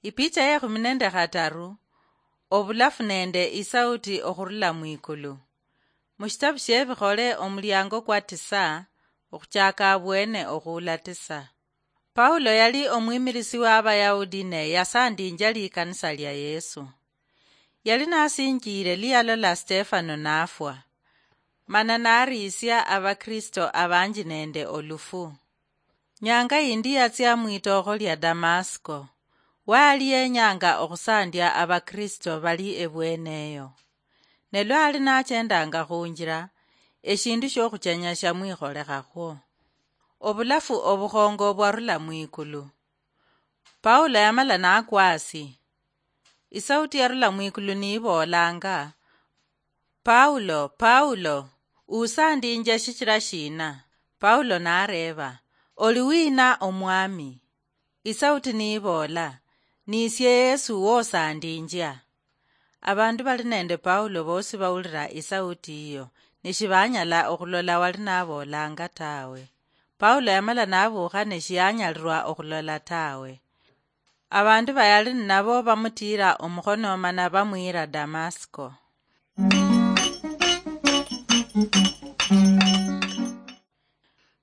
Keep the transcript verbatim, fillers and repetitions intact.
Ipicha ye khumi nende khataru. Obulafu nende isauti okhurula mwikulu. Mushitabu shie Bikhole omuliango kwa tisa, okhuchaka abwene okhuula tisa. Paulo yali omwimilisi wa Abayahudi ne yasandinja likanisa lia Yesu. Yali nasinjiire liyalola Stefano nafwa, mana nariisia Abakristo abanji nende olufu. Nyanga yindi yatsia mwitookho lia Damasko. Waali yenyanga okhusandia Abakristo bali ebweneyo. Ne lwali nachendanga khunjira, eshindu shiokhuchenya shamwikholekhakhwo. Obulafu obukhongo bwarula mwikulu. Paulo yamala nakwa asi. Isauti yarula mwikulu niiboolanga, "Paulo, Paulo, usandinja shichira shina?" Paulo nareeba, "Oli wina, Omwami?" Isauti niiboola, "Nisie Yesu wosandinjia." Abandu bali nende Paulo bosi bawulira isauti iyo, neshibanyala okhulola wali naboolanga tawe. Paulo yamala nabuukha neshiyanyalirwa okhulola tawe. Abandu bayali ninabo bamutiira omukhono mana bamwiira Damasko.